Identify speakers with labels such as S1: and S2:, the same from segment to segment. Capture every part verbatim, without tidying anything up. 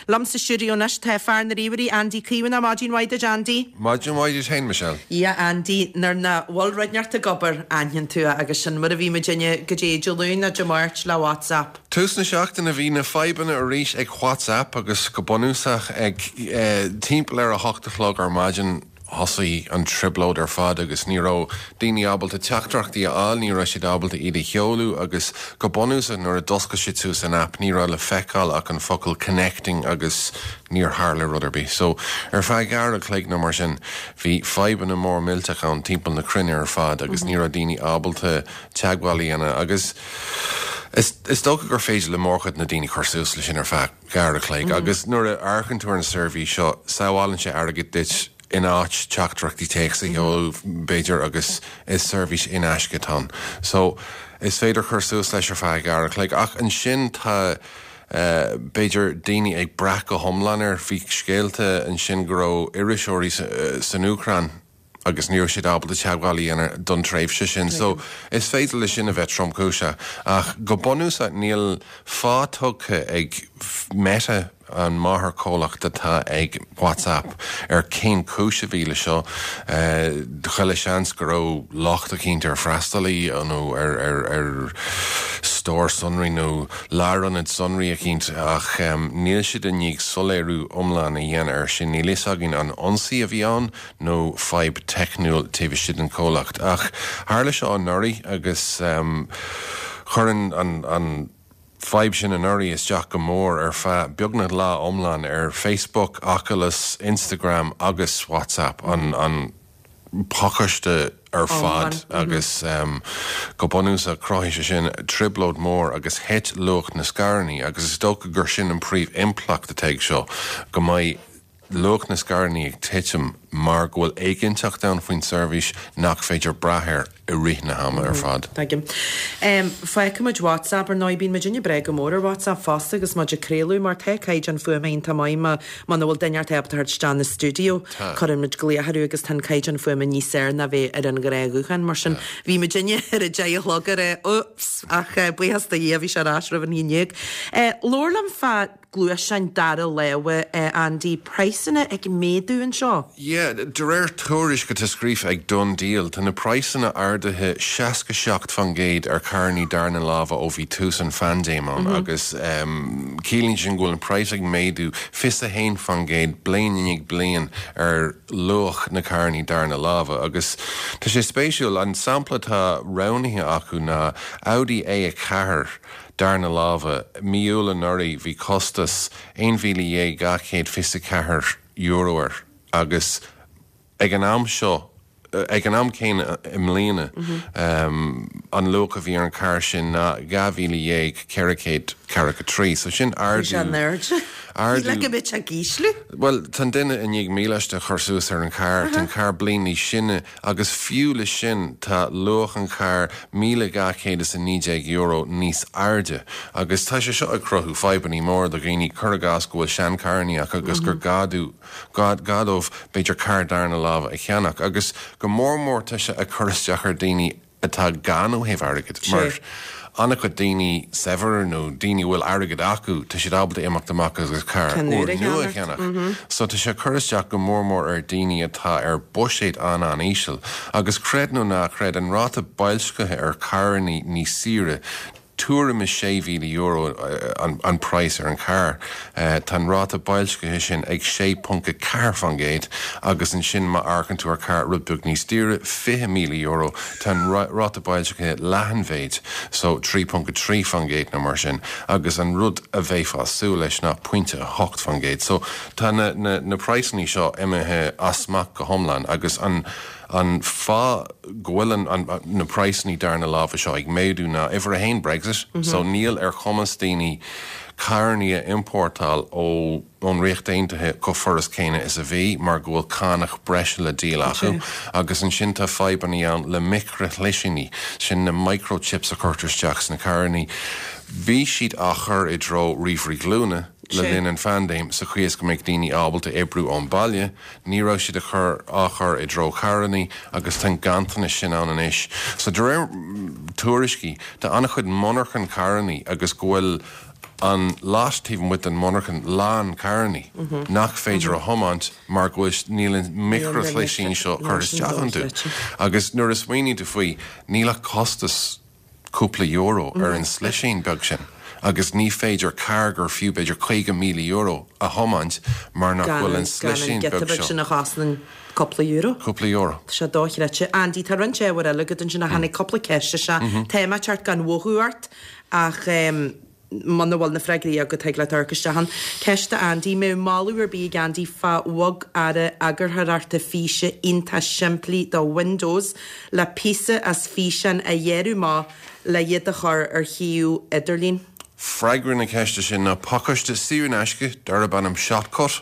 S1: Liom sa stiúideo anois tá fear na ríomhairí Andy Caomhánach maidin mhaith duit Andy.
S2: Maidin mhaith duit féin Michelle.
S1: Yeah Andy nuair nach bhfuil rud inteacht ag obair aithníonn tú agus sin mar a bhí muidinne go dtí Dé Luain nó Dé Máirt le WhatsApp.
S2: Tús na seachtaine bhí na fadhbanna arís ag WhatsApp agus go bunúsach ag eh, timpeall ar a hocht a chlog ar maidin thosaigh an trioblóid ar fad agus ní raibh daoine ábalta teachtaireachtaí a fháil, ní raibh siad ábalta iad a sheoladh agus go bunúsach nuair a d'oscail siad suas an app ní raibh le feiceáil ach an focal connecting agus níor tharla rud ar bith. So ar feadh uair a chloig nó mar sin bhí fadhbanna mór millteach ann timpeall na cruinne ar fad agus ní raibh daoine ábalta teagmháil a dhéanamh agus Is, is dócha gur féidir le mórchuid na daoine cur suas leis sin ar feadh uair a chloig, mm -hmm. agus nuair a amharcann tú ar an seirbhís seo sábhálann sé airgead duit in áit teachtaireachtaí téacs a sheoladh b'fhéidir agus is seirbhís in aisce atá ann. So is féidir cur suas leis ar feadh uair a chloig ach ansin tá Uh, b'fhéidir daoine ag brath go hiomlán air bhí scéalta ansin go raibh iriseoirí uh, san Úcráin agus ní raibh siad ábalta teagmháil a dhéanamh don tréimhse sin. So is féidir le sin a bheith tromchúiseach ach go bunúsach níl fáth tugtha ag Meta an máthairchomhlacht atá ag WhatsApp ar cén chúis a bhí le seo chuile seans go raibh locht eicínt ar freastalaí nó ar ar ar stór sonraí nó lárionad sonraí eicínt ach um, níl siad i ndiaidh soiléiriú iomlán a dhéanamh ar sin níl fhios againn an ionsaí a bhí ann nó fadhb teicniúil taobh istigh den chomhlacht ach tharla seo anuraidh agus um, chuir an, an, an fadhb sin anuraidh isteach go mór ar feadh beagnach lá iomlán ar Facebook, Oculus, Instagram agus WhatsApp an, an pacáiste ar fad agus um, go bunúsach chruthaigh sé sin trioblóid mór agus thit luach na scaireanna agus is dócha gur sin an príomh-impleacht atá ag seo go mbeidh luach na scaireanna ag titim mar go bhfuil éiginnteacht ann faoin seirbhís nach féidir brath air i rith na hama ar fad.
S1: Tuigim. Um, Feicimid WhatsApp ar ndóigh bíonn muidinne breá go mór ar WhatsApp fosta agus muid ag craoladh mar tá caighdeán fuaime iontach maith má muna bhfuil duine ábalta theacht isteach na studio cuireann muid glaoch orthu agus tá caighdeán fuaime níos fearr ná bheith ar an ghnáthghuthán mar sin bhí muidinne ar a deich a chlog ar ups ach uh, buíochas do Dhia bhí sé ar ais roimh an haon déag. Uh, Labhair liom fá gluaisteáin dara láimhe uh, Andy praghsanna ag méadú anseo.
S2: Yeah, de réir tuairisc atá scríofa ag DoneDeal, tá na praghsanna ardaithe seasca seacht faoin gcéad ar charranna darna láimhe ó bhí tús an phaindéim ann mm -hmm. agus um, ciallaíonn sin go bhfuil an praghas ag méadú fiche a haon faoin gcéad bliain i ndiaidh bliain ar luach na carranna darna láimhe agus tá sé spéisiúil an sampla atá roghnaithe acu ná Audi A ceathair darna láimhe mí Iúil anuraidh bhí costas aon mhíle dhéag dhá chéad fiche ceathair euro air agus ag an am seo ag an am céanna i mbliana um, an luach a bhí ar an car sin ná dhá mhíle dhéag ceithre chéad ceathracha trí, so sin ardú
S1: ardú le go bit a gíslu?
S2: Well tá duine i ndiaidh míleáiste a chur suas ar an car Tá an car bliain níos sine agus fiú le sin tá luach an car míle dhá chéad is a naoi déag euro níos airde agus tá sé seo ag cruthú fadhbanna mór do dhaoine cuir i gcás go bhfuil seancharranna acu agus gur gá gá dóibh b'fhéidir car darna láimhe a cheannach agus go mór mór tá sé ag cur isteach ar daoine atá gann ó thaobh airgid mar an-chuid daoine saibhir nó daoine bhfuil airgead acu tá siad ábalta imeacht amach agus car úr nua cheannach. So tá sé cur isteach go mór mór ar daoine atá ar buiséad an an-íseal agus creid nó ná creid an ráta boilscithe ar carranna níos saoire tuairim is sé mhíle euro an, an praghas ar an car. Uh, tá an ráta boilscithe sin ag sé ponc a ceathair faoin gcéad agus ansin má amharcann tú ar car rud beag níos daoire fiche míle euro tá an ráta boilscithe leath an mhéid so trí ponc trí faoin gcéad nó mar sin agus an rud a bheifeá ag súil leis ná pointe a hocht faoin gcéad. So tá na, na, na praghsanna seo imithe as smacht go hiomlán agus an an fáth go bhfuil an, an, na praghsanna darna láimhe seo ag méadú ná uimhir a haon Brexit, mm -hmm. so níl ar chumas daoine carranna a iompórtáil ó ón Ríocht Aontaithe chomh furast céanna is a bhí mar go bhfuil cánach breise le díol acu agus ansin tá fadhbanna ann le micreashlisiní sin na microchips a chuirtear isteach sna carranna. Bhí siad á chur i dtreo ríomhairí glúine le linn an phaindéim sa chaoi is go mbeidh daoine ábalta oibriú ón baile, ní raibh siad a chur á chur i dtreo carranna agus tá ganntanas sin ann anois. So de réir tuairiscí tá an-chuid monarchan carranna agus go bhfuil an lot taobh amuigh den monarchan lán carrannaí nach féidir a thiomáint mar go bhfuil níl an micreashlisín seo curtha isteach iontu. Agus nuair a smaoiníonn tú faoi, níl ach costas cúpla euro ar an slisín beag sin. Agus ní féidir carr gur fiú b'fhéidir caoga míle euro a thiomáint mar nach bhfuil an slisín beag seo.
S1: Sin a chosnaíonn cúpla euro.
S2: Cúpla euro.
S1: Tá sé dochreidte. Andy, tá roinnt ábhar eile agat ansin a tháinig cúpla ceist isteach. Tá mé ag teacht gan mhothú ort ach muna bhfuil na freagraí agat thig leat amharc isteach ann. Ceist do Andy, mbeadh moladh ar bith ag Andy fá bhogearra eagarthóireachta físe iontach simplí do Windows le píosa as físeán a ghearradh amach le iad a chur ar shuíomh idirlín?
S2: Freagra na ceiste sin ná pacáiste saor in aisce darb ainm Shotcut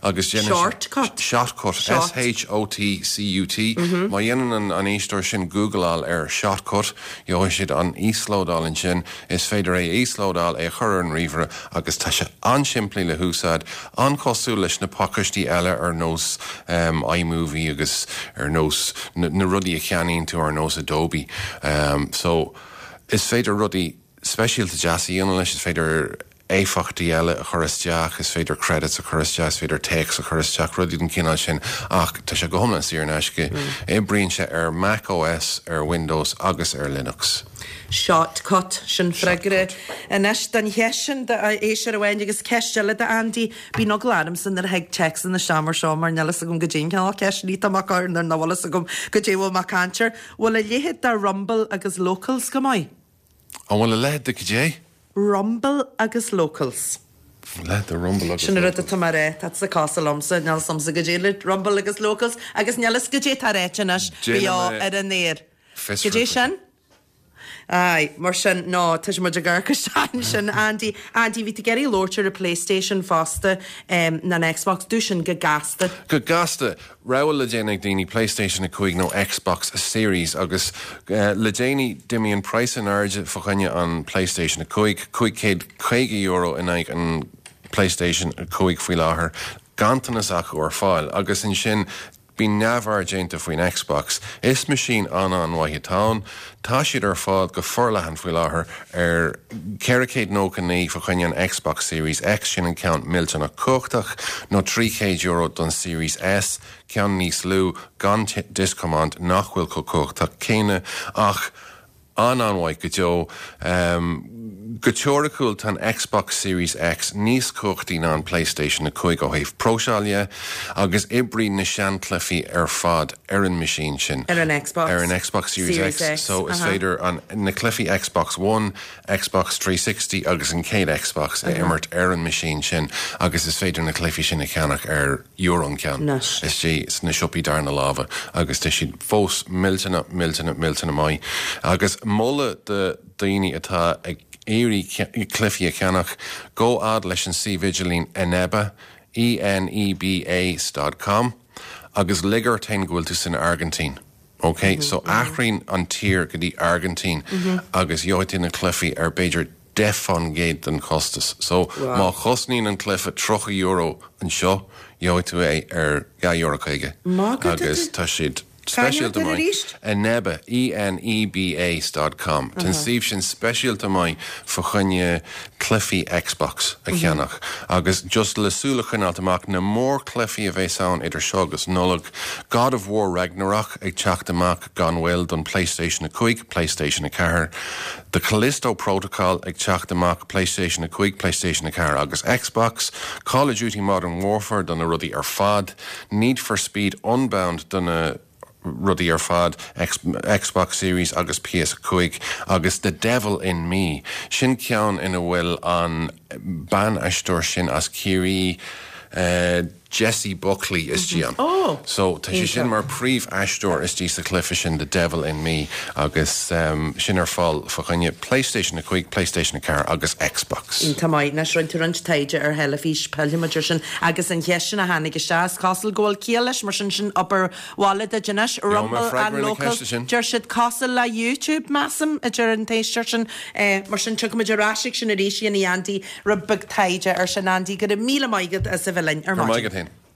S2: agus déanann
S1: Shortcut?
S2: Shotcut,
S1: Shot.
S2: S H O T C U T. Má dhéanann an, an éisteoir sin Googleáil ar Shotcut, gheobhaidh siad an íoslódáil ansin, is féidir é íoslódáil é a chur ar an ríomhaire agus tá sé an-simplí le húsáid, an-chosúil leis na pacáistí eile ar nós um, iMovie agus ar nós na, na rudaí a cheannaíonn tú ar nós Adobe. Um, so is féidir rudaí speisialta deasa a dhéanamh leis, is féidir éifeachtaí eile a chur isteach, is féidir credits a chur isteach, is féidir téacs a chur isteach, rudaí den chineál sin, ach tá sé go hiomlán saor in aisce. Oibríonn sé ar Mac O S, ar Windows agus ar Linux.
S1: Shotcut sin freagra. Anois don cheist sin d'éisteoir amháin agus ceist eile do Andy, bíonn eagla ormsa nuair a thig téacsanna isteach mar seo mar níl a fhios agam goidé an cineál ceist ní tá mé á chur nuair nach bhfuil a fhios agam goidé bhfuil mé ag caint air. Bhfuil a leithéid de Rumble agus Locals go maith?
S2: An bhfuil a leithéid de goidé?
S1: Rumble agus Locals.
S2: Leithéid de Rumble agus
S1: Sin rud atá mar é, Tá sa cás liomsa níl a fhios agamsa goidé le Rumble agus Locals agus níl a fhios goidé tá ráite anois beo ar an aer. Goidé sin? Ai, mar sin nó tá muid ag gar sin Andy Andy bhí tú ag iarraidh labhairt ar a PlayStation fosta um, ná an Xbox dú sin go gasta.
S2: Go gasta rogha le déanamh ag daoine PlayStation a cúig nó Xbox Series agus uh, le déanaí d'imigh an praghas in airde fá choinne an PlayStation a cúig cúig céad caoga euro in aghaidh an PlayStation a cúig faoi láthair ganntanas acu ar fáil agus ansin bhí neamhaird déanta faoin Xbox. Is machine an an-mhaith atá ann, tá siad ar fáil go forleathan faoi láthair ar ceithre chéad nócha naoi fá choinne an Xbox Series X sin an ceann millteanach cumhachtach nó trí chéad euro don Series S, ceann níos lú gan disc-command nach bhfuil chomh cumhachtach céanna ach an an-mhaith go deo. Um, go teoiriciúil tá Xbox Series X níos cumhachtaí ná an PlayStation a cúig ó thaobh próiseála agus oibríonn na seanchluichí ar fad ar an machine sin.
S1: Ar an Xbox.
S2: Ar an Xbox Series,
S1: Series
S2: X.
S1: X,
S2: So is
S1: aha.
S2: féidir an na cluichí Xbox One, Xbox trí sixty agus an chéad Xbox a imirt ar an machine sin agus is féidir na cluichí sin a cheannach ar euro an ceann.
S1: Anois.
S2: Is sna siopaí darna láimhe agus tá siad fós millteanach millteanach millteanach maith. Agus moladh do daoine atá ag iarraidh cluichí a cheannach gabh fhad leis an suíomh idirlín Eneba E N E B A dot com agus lig ort féin go bhfuil tú san Airgintín. Ok, mm -hmm, so athraíonn an tír go dtí Airgintín mm -hmm. agus gheobhaidh tú na cluichí ar b'fhéidir deich faoin gcéad den chostas. So
S1: Wow.
S2: má chosnaíonn an cluiche tríocha euro anseo, gheobhaidh tú é ar dhá euro caoga.
S1: Má go
S2: Agus tá siad speisialta
S1: Cá
S2: maith. Eneba E N E B A dot com. Tá an suíomh sin speisialta maith fá choinne cluichí Xbox a cheannach. Agus just le súil a choinneáil amach na mórchluichí a bheas ann idir seo agus Nollaig God of War Ragnarok ag teacht amach gan mhoill don PlayStation a cúig, PlayStation a ceathair. The Callisto Protocol ag teacht amach PlayStation a cúig, PlayStation a ceathair agus Xbox, Call of Duty Modern Warfare do na rudaí ar fad, Need for Speed Unbound do na rudaí ar fad X, Xbox Series agus P S cúig agus The Devil in Me. Sin ceann ina bhfuil an ban-aisteoir sin as Ciarraí uh, Jessie Buckley istigh ann.
S1: Oh,
S2: So tá sé sin mar príomhaisteoir istigh sa chluiche sin The Devil in Me agus um, sin ar fáil fá choinne PlayStation a cúig, PlayStation a ceathair agus Xbox.
S1: Tá maith na rinne tú roinnt taighde ar theilifís pillfimid air sin agus an cheist sin a tháinig isteach cosúil go bhfuil ciall leis mar sin sin obair bhaile duit anois Rumble
S2: freagra
S1: and
S2: na
S1: Locals
S2: ceiste sin.
S1: Deir siad cosúil le YouTube measaim a deir an t-éisteoir sin eh, mar sin tiocfaimid ar ais sin arís in Andy rud beag taighde ar sin Andy go raibh míle maith agat as a bheith linn ar
S2: Ar
S1: maidin.
S2: maith.